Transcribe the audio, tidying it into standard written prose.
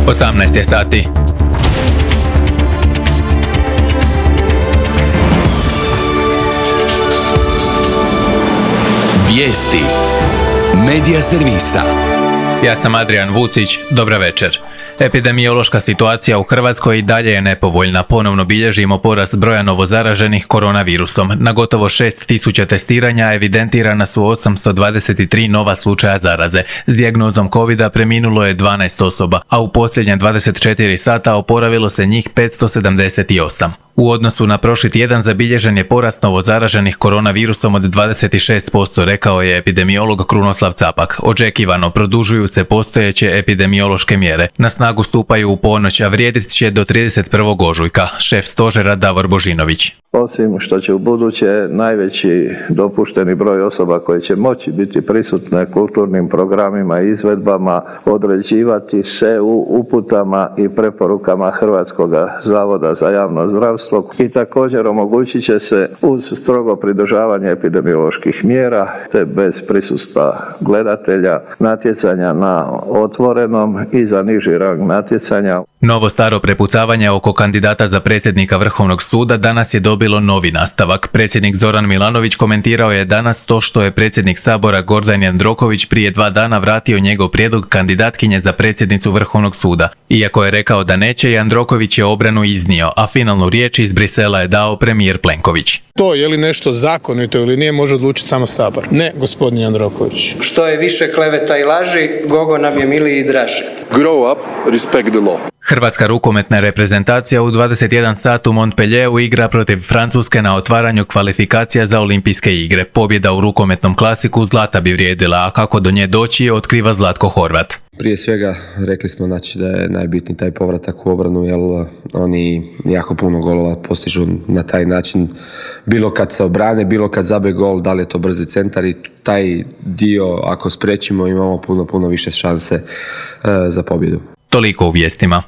18 je sati. Vijesti Medija servisa. Ja sam Adrian Vucić, dobra večer. Epidemiološka situacija u Hrvatskoj i dalje je nepovoljna. Ponovno bilježimo porast broja novozaraženih koronavirusom. Na gotovo 6.000 testiranja evidentirana su 823 nova slučaja zaraze. S dijagnozom covida preminulo je 12 osoba, a u posljednje 24 sata oporavilo se njih 578. U odnosu na prošli tjedan zabilježen je porast novozaraženih koronavirusom od 26%, rekao je epidemiolog Krunoslav Capak. Očekivano produžuju se postojeće epidemiološke mjere. Na snagu stupaju u ponoć, a vrijedit će do 31. ožujka. Šef stožera Davor Božinović. Osim što će u buduće najveći dopušteni broj osoba koje će moći biti prisutne kulturnim programima i izvedbama određivati se u uputama i preporukama Hrvatskog zavoda za javno zdravstvo i također omogućit će se uz strogo pridržavanje epidemioloških mjera te bez prisustva gledatelja natjecanja na otvorenom i za niži rang natjecanja. Novo staro prepucavanje oko kandidata za predsjednika Vrhovnog suda danas je dobilo novi nastavak. Predsjednik Zoran Milanović komentirao je danas to što je predsjednik Sabora Gordan Jandroković prije 2 dana vratio njegov prijedlog kandidatkinje za predsjednicu Vrhovnog suda. Iako je rekao da neće, Jandroković je obranu iznio, a finalnu riječ iz Brisela je dao premijer Plenković. To je li nešto zakonito ili nije može odlučiti samo Sabor. Ne, gospodin Jandroković. Što je više kleveta i laži, Gogo nam je miliji i draži. Grow up, respect the law. Hrvatska rukometna reprezentacija u 21 sat u Montpellieru igra protiv Francuske na otvaranju kvalifikacija za olimpijske igre. Pobjeda u rukometnom klasiku zlata bi vrijedila, a kako do nje doći otkriva Zlatko Horvat. Prije svega rekli smo da je najbitniji taj povratak u obranu, jer oni jako puno golova postižu na taj način. Bilo kad se obrane, bilo kad zabije gol, da li je to brzi centar, i taj dio ako spriječimo imamo puno više šanse za pobjedu. Toliko u vijestima.